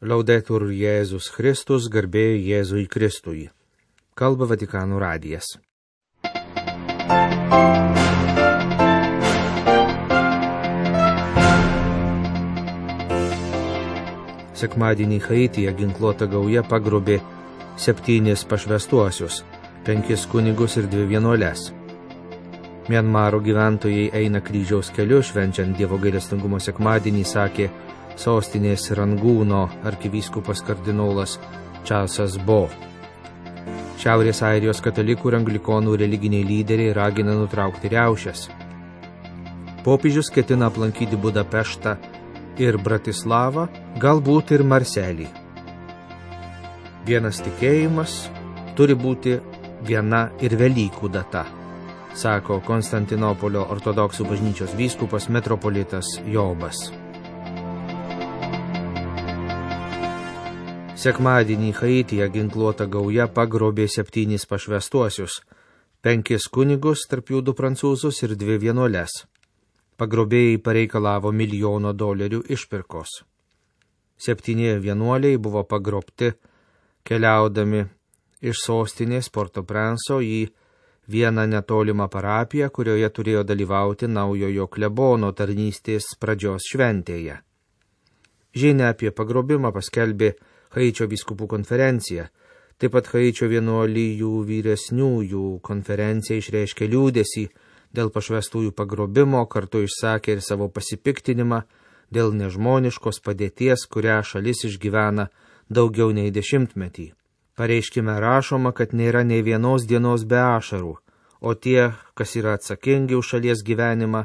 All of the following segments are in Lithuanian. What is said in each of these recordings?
Laudetur Jėzus Kristus, garbė Jėzui Kristui. Kalba Vatikano radijas. Sekmadienį Haityje ginkluota gauja pagrobė 7 pašvęstuosius, 5 kunigus ir 2 vienuoles. Mianmaro gyventojai eina kryžiaus keliu, švenčiant Dievo gailestingumo sekmadienį, sakė sostinės Rangūno arkivyskupas kardinolas Čarlzas Bo. Šiaurės Airijos katalikų ir anglikonų religiniai lyderiai ragina nutraukti riaušes. Popiežius ketina aplankyti Budapeštą ir Bratislavą, galbūt ir Marselį. Vienas tikėjimas turi būti viena ir Velykų data, sako Konstantinopolio ortodoksų bažnyčios vyskupas metropolitas Jobas. Sekmadienį Haityje ginkluota gauja pagrobė 7 pašvęstuosius, 5 kunigus, tarp jų 2 prancūzus ir 2 vienuoles. Pagrobėjai pareikalavo $1 milijono išpirkos. 7 vienuoliai buvo pagrobti, keliaudami iš sostinės Port-au-Prince'o į vieną netolimą parapiją, kurioje turėjo dalyvauti naujojo klebono tarnystės pradžios šventėje. Žinia apie pagrobimą paskelbė Haičio vyskupų konferencija. Taip pat Haičio vienuolijų vyresniųjų konferencija išreiškė liūdesį dėl pašvęstųjų pagrobimo, kartu išsakė ir savo pasipiktinimą dėl nežmoniškos padėties, kurią šalis išgyvena daugiau nei 10 metį. Pareiškime rašoma, kad nėra nei vienos dienos be ašarų, o tie, kas yra atsakingi už šalies gyvenimą,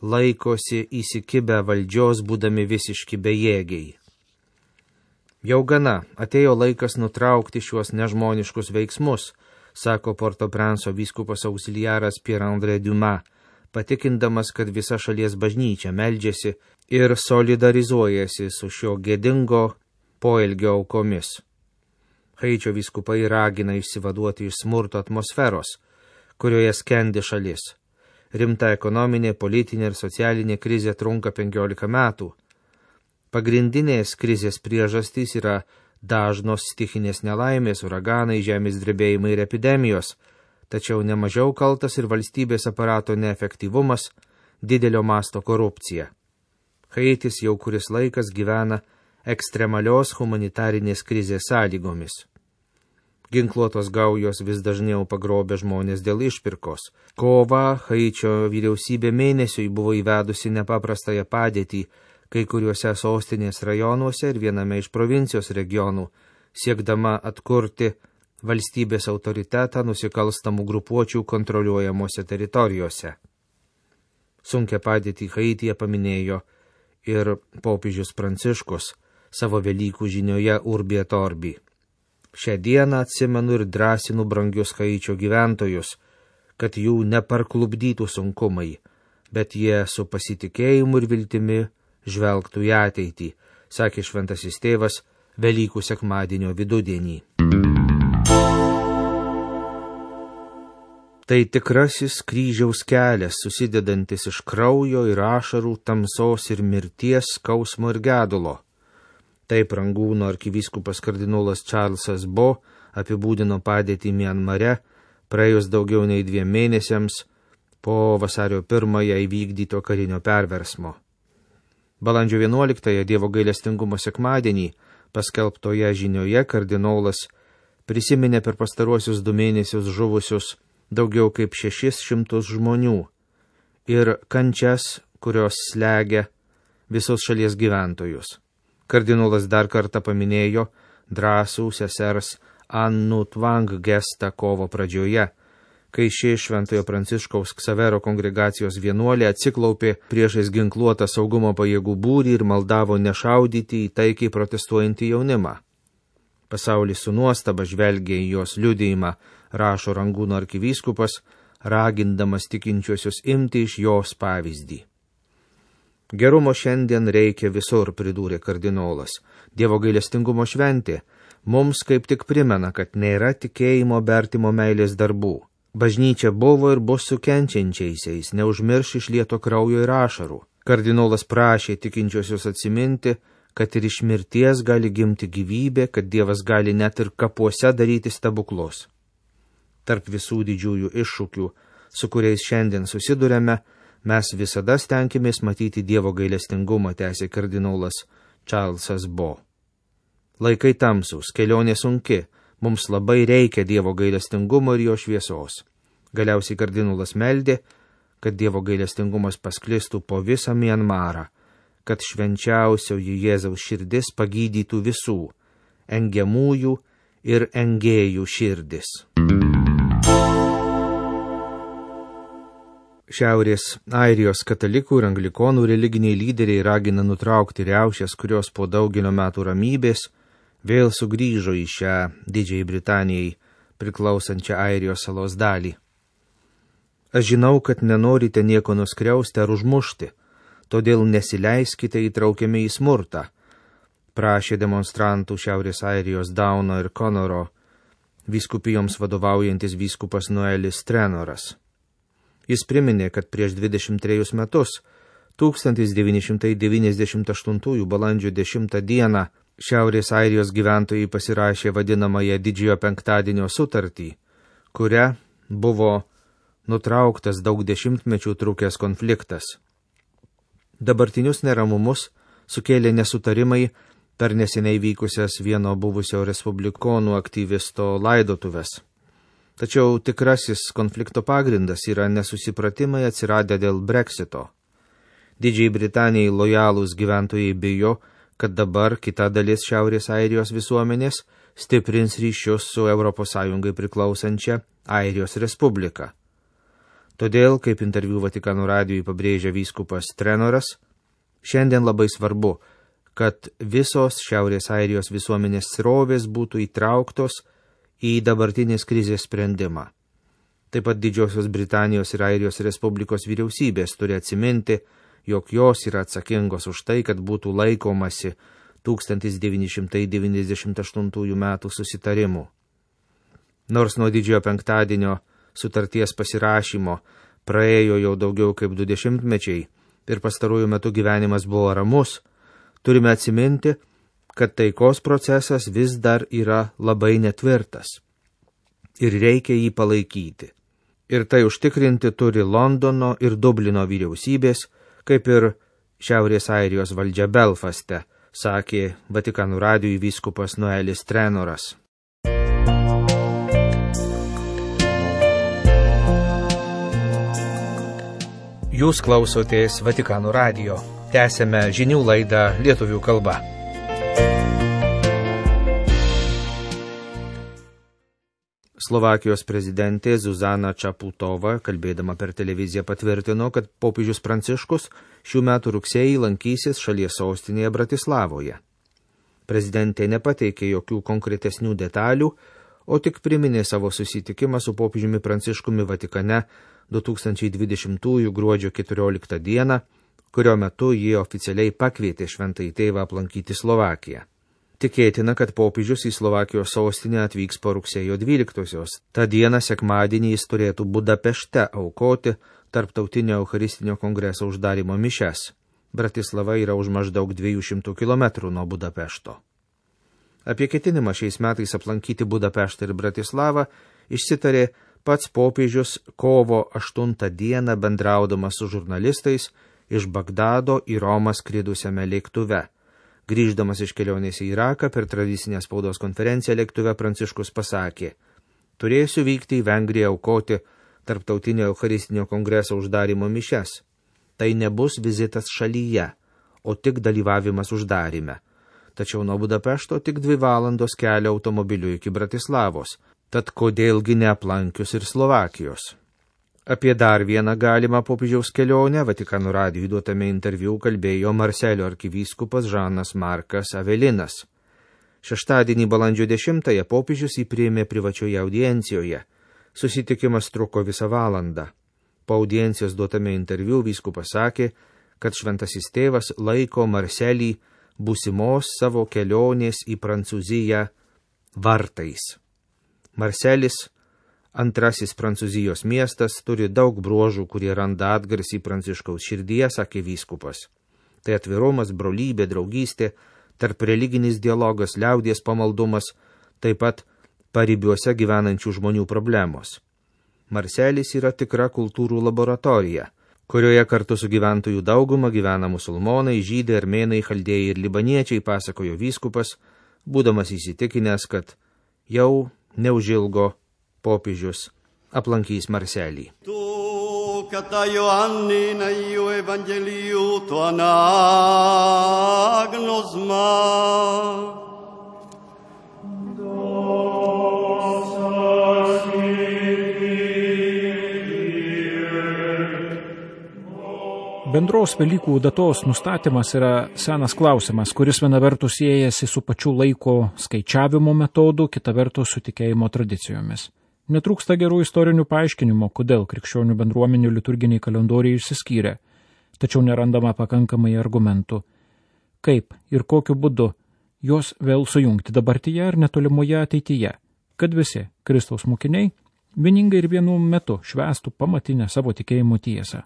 laikosi įsikibę valdžios, būdami visiški bejėgiai. Jau gana, atėjo laikas nutraukti šiuos nežmoniškus veiksmus, sako Port-au-Prince'o vyskupas auxiliaras Pierre-André Dumas, patikindamas, kad visa šalies bažnyčia meldžiasi ir solidarizuojasi su šio gėdingo poelgio aukomis. Haičio vyskupai ragina išsivaduoti iš smurto atmosferos, kurioje skendi šalis. Rimta ekonominė, politinė ir socialinė krizė trunka 15 metų. Pagrindinės krizės priežastys yra dažnos stichinės nelaimės, uraganai, žemės drebėjimai ir epidemijos, tačiau nemažiau kaltas ir valstybės aparato neefektyvumas, didelio masto korupcija. Haitis jau kuris laikas gyvena ekstremalios humanitarinės krizės sąlygomis. Ginkluotos gaujos vis dažniau pagrobė žmonės dėl išpirkos. Kovą Haičio vyriausybė mėnesiui buvo įvedusi nepaprastąją padėtį kai kuriuose sostinės rajonuose ir viename iš provincijos regionų, siekdama atkurti valstybės autoritetą nusikalstamų grupuočių kontroliuojamuose teritorijose. Sunkią padėtį Haityje paminėjo ir popiežius Pranciškus savo Velykų žinioje Urbi et Orbi. Šią dieną atsimenu ir drąsinu brangius Haičio gyventojus, kad jų neparklupdytų sunkumai, bet jie su pasitikėjimu ir viltimi žvelgtų į ateitį, sakė šventasis tėvas Velykų sekmadienio vidudienį. Tai tikrasis kryžiaus kelias, susidedantis iš kraujo ir ašarų, tamsos ir mirties, skausmo ir gedulo. Taip Rangūno arkivyskupas kardinolas Čarlzas Bo apibūdino padėtį Mianmare praėjus daugiau nei 2 mėnesiams po vasario 1 įvykdyto karinio perversmo. Balandžio 11 Dievo gailestingumo sekmadienį paskelbtoje žinioje kardinolas prisiminė per pastaruosius 2 mėnesius žuvusius daugiau kaip 600 žmonių ir kančias, kurios slegia visus šalies gyventojus. Kardinolas dar kartą paminėjo drąsų sesers Annu Tvang gestą kovo pradžioje, kai ši Šventojo Pranciškaus Ksavero kongregacijos vienuolė atsiklaupė priešais ginkluotą saugumo pajėgų būrį ir maldavo nešaudyti į taikiai protestuojantį jaunimą. Pasaulis su nuostaba žvelgė į jos liudijimą, rašo Rangūno arkivyskupas, ragindamas tikinčiuosius imti iš jos pavyzdį. Gerumo šiandien reikia visur, pridūrė kardinolas. Dievo gailestingumo šventė mums kaip tik primena, kad nėra tikėjimo be artimo meilės darbų. Bažnyčia buvo ir bus su kenčiančiaisiais, neužmirš išlieto kraujo ir ašarų. Kardinolas prašė tikinčiosius atsiminti, kad ir iš mirties gali gimti gyvybė, kad Dievas gali net ir kapuose daryti stebuklus. Tarp visų didžiųjų iššūkių, su kuriais šiandien susidurėme, mes visada stenkimės matyti Dievo gailestingumą, tęsė kardinolas Čarlzas Bo. Laikai tamsūs, kelionė sunki, mums labai reikia Dievo gailestingumo ir jo šviesos. Galiausiai kardinolas meldė, kad Dievo gailestingumas pasklistų po visą Mianmarą, kad švenčiausioji Jėzaus širdis pagydytų visų, engiamųjų ir engėjų širdis. Šiaurės Airijos katalikų ir anglikonų religiniai lyderiai ragina nutraukti riaušes, kurios po daugelio metų ramybės vėl sugrįžo į šią Didžiajai Britanijai priklausančią Airijos salos dalį. Aš žinau, kad nenorite nieko nuskriausti ar užmušti, todėl nesileiskite įtraukiami į smurtą, prašė demonstrantų Šiaurės Airijos Dauno ir Conoro vyskupijoms vadovaujantis vyskupas Noelis Trenoras. Jis priminė, kad prieš 23 metus, 1998 balandžio 10 dieną, Šiaurės Airijos gyventojai pasirašė vadinamąją Didžiojo penktadienio sutartį, kuria buvo nutrauktas daug dešimtmečių trukęs konfliktas. Dabartinius neramumus sukėlė nesutarimai per neseniai vykusias vieno buvusio respublikonų aktyvisto laidotuves. Tačiau tikrasis konflikto pagrindas yra nesusipratimai atsiradę dėl Brexito. Didžiai Britanijai lojalūs gyventojai bijo, kad dabar kita dalis Šiaurės Airijos visuomenės stiprins ryšius su ES priklausančia Airijos Respublika. Todėl, kaip interviu Vatikano radijui pabrėžia vyskupas Trenoras, šiandien labai svarbu, kad visos Šiaurės Airijos visuomenės srovės būtų įtrauktos į dabartinės krizės sprendimą. Taip pat Didžiosios Britanijos ir Airijos Respublikos vyriausybės turi atsiminti, jog jos yra atsakingos už tai, kad būtų laikomasi 1998 metų susitarimų. Nors nuo Didžiojo penktadienio sutarties pasirašymo praėjo jau daugiau kaip 20 mečiai ir pastarųjų metų gyvenimas buvo ramus, turime atsiminti, kad taikos procesas vis dar yra labai netvirtas ir reikia jį palaikyti. Ir tai užtikrinti turi Londono ir Dublino vyriausybės, kaip ir Šiaurės Airijos valdžia Belfaste, sakė Vatikano radijui vyskupas Noelis Trenoras. Jūs klausotės Vatikano radijo. Tęsėme žinių laidą lietuvių kalba. Slovakijos prezidentė Zuzana Čaputova, kalbėdama per televiziją, patvirtino, kad popiežius Pranciškus šių metų rugsėjį lankysis šalies sostinėje Bratislavoje. Prezidentė nepateikė jokių konkretesnių detalių, o tik priminė savo susitikimą su popiežiumi Pranciškumi Vatikane 2020 gruodžio 14 dieną, kurio metu jie oficialiai pakvietė Šventąjį Tėvą aplankyti Slovakiją. Tikėtina, kad popiežius į Slovakijos sostinę atvyks po rugsėjo 12-osios. Ta diena sekmadienį jis turėtų Budapešte aukoti Tarptautinio Eucharistinio kongreso uždarymo mišias. Bratislava yra už maždaug 200 km nuo Budapešto. Apie ketinimą šiais metais aplankyti Budapeštą ir Bratislavą išsitarė pats popiežius kovo 8 dieną bendraudamas su žurnalistais iš Bagdado į Romą skridusiame lėktuve. Grįždamas iš kelionės į Iraką per tradicinę spaudos konferenciją lėktuve Pranciškus pasakė: turėsiu vykti į Vengriją aukoti Tarptautinio Eucharistinio kongreso uždarymo mišias. Tai nebus vizitas šalyje, o tik dalyvavimas uždaryme. Tačiau nuo Budapešto tik 2 valandos kelio automobiliu iki Bratislavos, tad kodėlgi neaplankius ir Slovakijos. Apie dar vieną galimą popiežiaus kelionę Vatikano radijui duotame interviu kalbėjo Marselio arkivyskupas Žanas Markas Avelinas. Šeštadienį balandžio 10-ąją popiežius jį priėmė privačioje audiencijoje. Susitikimas truko visą valandą. Po audiencijos duotame interviu vyskupas sakė, kad Šventasis Tėvas laiko Marselį būsimos savo kelionės į Prancūziją vartais. Marselis, antrasis Prancūzijos miestas, turi daug bruožų, kurie randa atgarsį Pranciškaus širdyje, sakė vyskupas. Tai atvirumas, brolybė, draugystė, tarp religinis dialogas, liaudies pamaldumas, taip pat paribiuose gyvenančių žmonių problemos. Marselis yra tikra kultūrų laboratorija, kurioje kartu su gyventojų dauguma gyvena musulmonai, žydai, armėnai, chaldėjai ir libaniečiai, pasakojo vyskupas, būdamas įsitikinęs, kad jau neužilgo popiežius aplankys Marselį. Κατά Ιωάννην Αγίου Ευαγγελίου το ανάγνωσμα. Bendros Velykų datos nustatymas yra senas klausimas, kuris viena vertus siejasi su pačiu laiko skaičiavimo metodu, kita vertus su tikėjimo tradicijomis. Netrūksta gerų istorinių paaiškinimų, kodėl krikščionių bendruomenių liturginiai kalendoriai išsiskyrė, tačiau nerandama pakankamai argumentų, kaip ir kokiu būdu juos vėl sujungti dabartyje ar netolimoje ateityje, kad visi Kristaus mokiniai vieningai ir vienu metu švęstų pamatinę savo tikėjimo tiesą.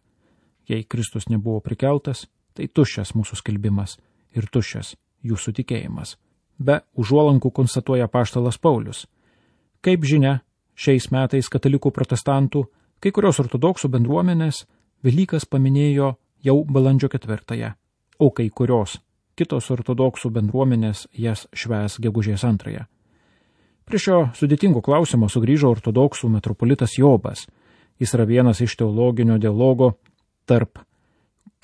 Jei Kristus nebuvo prikeltas, tai tuščias mūsų skelbimas ir tuščias jūsų tikėjimas. Be užuolankų konstatuoja apaštalas Paulius. Kaip žinia, šiais metais katalikų protestantų, kai kurios ortodoksų bendruomenės Velykas paminėjo jau balandžio 4, o kai kurios kitos ortodoksų bendruomenės jas švęs gegužės 2. Prie šio sudėtingo klausimo sugrįžo ortodoksų metropolitas Jobas. Jis yra vienas iš teologinio dialogo tarp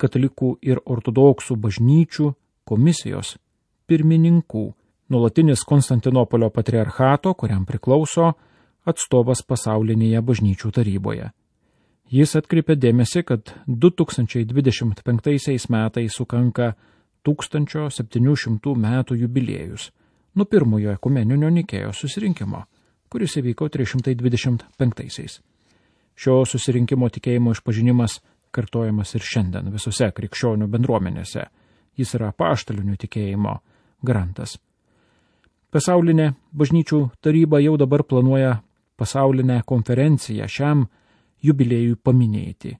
katalikų ir ortodoksų bažnyčių komisijos pirmininkų, nuolatinis Konstantinopolio patriarchato, kuriam priklauso atstovas pasaulinėje bažnyčių taryboje. Jis atkreipė dėmesį, kad 2025 metais sukanka 1700 metų jubiliejus nuo pirmojo ekumeninio Nikėjos susirinkimo, kuris įvyko 325. Šio susirinkimo tikėjimo išpažinimas kartojamas ir šiandien visose krikščionių bendruomenėse. Jis yra apaštalinių tikėjimo garantas. Pasaulinė bažnyčių taryba jau dabar planuoja pasaulinę konferenciją šiam jubiliejui paminėti.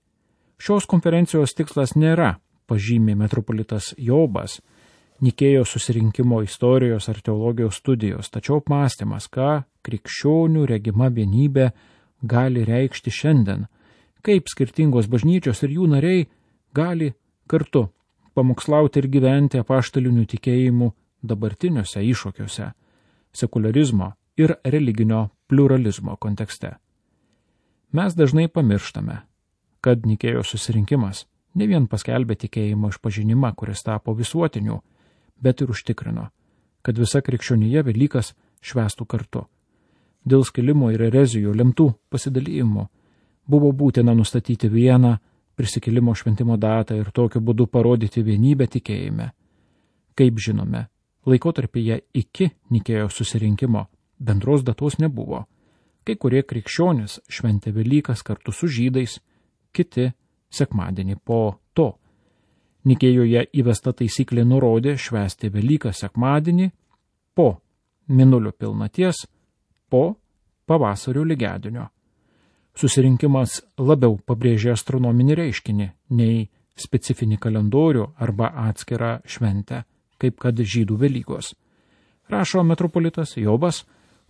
Šios konferencijos tikslas nėra, pažymė metropolitas Jobas, Nikėjos susirinkimo istorijos ar teologijos studijos, tačiau apmąstymas, ką krikščionių regima vienybė gali reikšti šiandien, kaip skirtingos bažnyčios ir jų nariai gali kartu pamokslauti ir gyventi apaštalinių tikėjimų dabartiniuose iššūkiuose, sekularizmo ir religinio pluralizmo kontekste. Mes dažnai pamirštame, kad Nikėjos susirinkimas ne vien paskelbė tikėjimo išpažinimą, kuris tapo visuotiniu, bet ir užtikrino, kad visa krikščionija Velykas švęstų kartu. Dėl skilimo ir erezijų lemtų pasidalijimų buvo būtina nustatyti vieną prisikėlimo šventimo datą ir tokiu būdu parodyti vienybę tikėjime. Kaip žinome, laikotarpyje iki Nikėjos susirinkimo bendros datos nebuvo. Kai kurie krikščionys šventė Velykas kartu su žydais, kiti sekmadienį po to. Nikėjoje įvesta taisyklė nurodė švęsti Velykas sekmadienį po mėnulio pilnaties, po pavasario lygiadienio. Susirinkimas labiau pabrėžė astronominį reiškinį nei specifinį kalendorių arba atskirą šventę, kaip kad žydų Velykos. Rašo metropolitas Jobas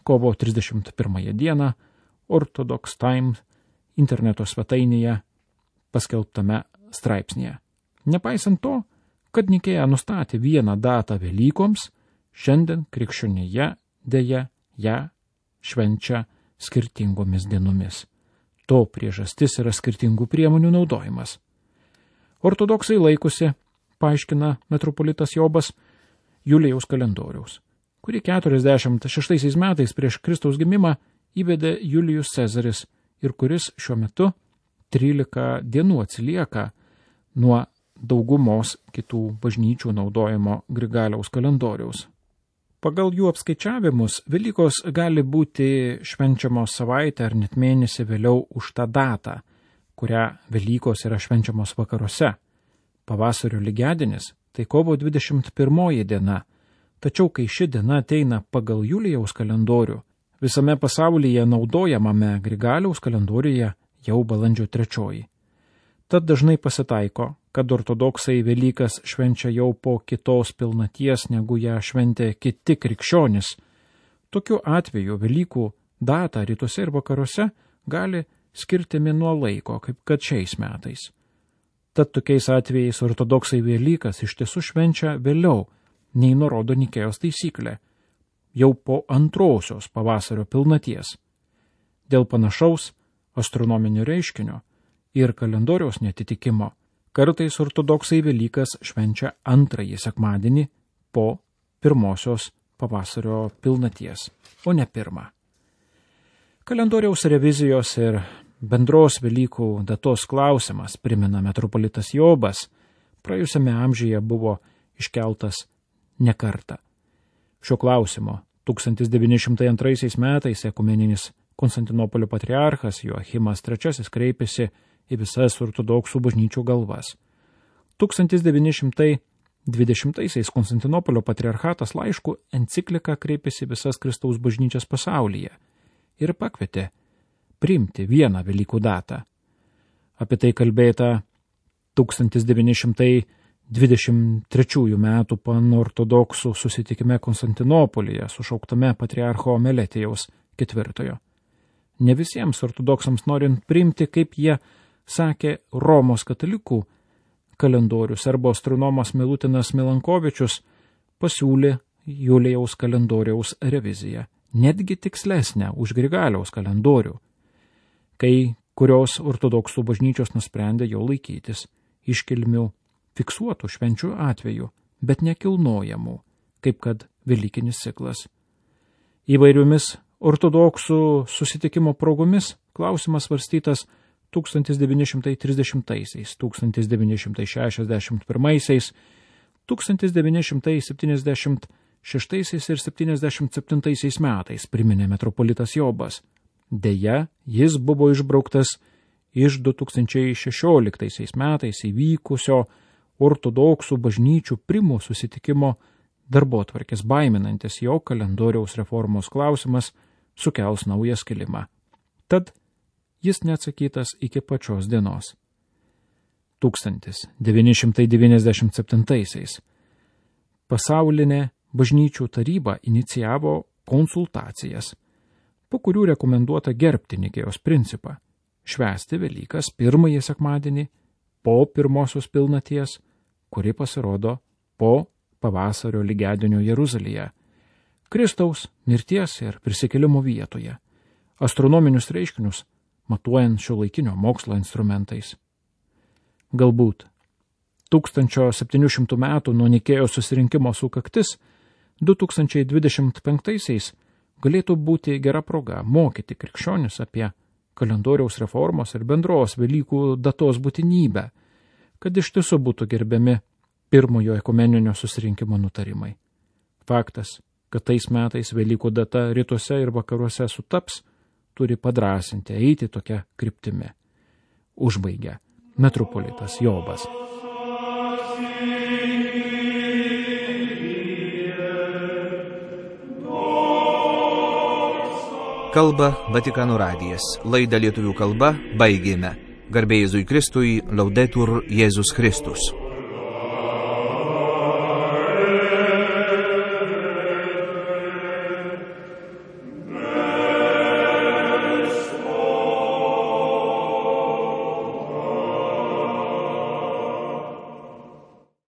kovo 31 dieną Orthodox Times interneto svetainėje paskelbtame straipsnėje. Nepaisant to, kad Nikėja nustatė vieną datą Velykoms, šiandien krikščionija dėja ją švenčia skirtingomis dienomis. To priežastis yra skirtingų priemonių naudojimas. Ortodoksai laikosi, paaiškina metropolitas Jobas, Julijaus kalendoriaus, kurį 46 metais prieš Kristaus gimimą įvedė Julijus Cezaris ir kuris šiuo metu 13 dienų atsilieka nuo daugumos kitų bažnyčių naudojimo Grigaliaus kalendoriaus. Pagal jų apskaičiavimus, Velykos gali būti švenčiamos savaitę ar net mėnesį vėliau už tą datą, kurią Velykos yra švenčiamos vakaruose. Pavasario lygiadienis tai kovo 21 diena, tačiau kai ši diena ateina pagal Julijaus kalendorių, visame pasaulyje naudojamame Grigaliaus kalendoriuje jau balandžio 3. Tad dažnai pasitaiko, kad ortodoksai Velykas švenčia jau po kitos pilnaties, negu ją šventė kiti krikščionys. Tokiu atveju Velykų datą rytuose ir vakaruose gali skirti nuo laiko, kaip kad šiais metais. Tad tokiais atvejais ortodoksai Velykas iš tiesų švenčia vėliau, nei nurodo Nikėjos taisyklė, jau po antrosios pavasario pilnaties. Dėl panašaus astronominio reiškinio ir kalendoriaus netitikimo kartais ortodoksai Velykas švenčia antrąjį sekmadienį po pirmosios pavasario pilnaties, o ne pirmą. Kalendoriaus revizijos ir bendros Velykų datos klausimas, primena metropolitas Jobas, praėjusiame amžiuje buvo iškeltas ne kartą. Šio klausimo 1902 metais ekumeninis Konstantinopolio patriarchas Joachimas III kreipėsi į visas ortodoksų bažnyčių galvas. 1920 Konstantinopolio patriarchatas laišku enciklika kreipėsi visas Kristaus bažnyčias pasaulyje ir pakvietė priimti vieną Velykų datą. Apie tai kalbėta 1923 metų panortodoksų susitikime Konstantinopolyje, sušauktame patriarcho Meletijaus IV. Ne visiems ortodoksams norint priimti, kaip jie sakė, Romos katalikų kalendorius arba astronomas Milutinas Milankovičius pasiūlė Julijaus kalendoriaus reviziją, netgi tikslesnę už Grigaliaus kalendorių, kai kurios ortodoksų bažnyčios nusprendė jo laikytis iškilmių fiksuotų švenčių atveju, bet nekilnojamų, kaip kad Velykinis ciklas. Įvairiomis ortodoksų susitikimo progomis klausimas svarstytas 1930, 1961, 1976 ir 77 metais, priminė metropolitas Jobas. Deja, jis buvo išbrauktas iš 2016 metais įvykusio ortodoksų bažnyčių primų susitikimo darbotvarkės, baiminantis, jo kalendoriaus reformos klausimas sukels naują skilimą. Tad jis neatsakytas iki pačios dienos. 1997 pasaulinė bažnyčių taryba inicijavo konsultacijas, po kurių rekomenduota gerbti Nikėjos principą, švęsti Velykas pirmąjį sekmadienį po pirmosios pilnaties, kuri pasirodo po pavasario lygiadienio Jeruzalėje, Kristaus mirties ir prisikėlimo vietoje, astronominius reiškinius matuojant šiuolaikinio mokslo instrumentais. Galbūt 1700 metų nuo Nikėjos susirinkimo sukaktis 2025 galėtų būti gera proga mokyti krikščionis apie kalendoriaus reformos ir bendros Velykų datos būtinybę, kad iš tiesų būtų gerbiami pirmojo ekumeninio susirinkimo nutarimai. Faktas, kad tais metais Velykų data rytuose ir vakaruose sutaps, turi padrąsinti eiti tokia kryptimi. Užbaigia metropolitas Jobas. Kalba Vatikano radijas. Laidą lietuvių kalba baigėme. Garbė Jėzui Kristui, Laudetur Jėzus Kristus.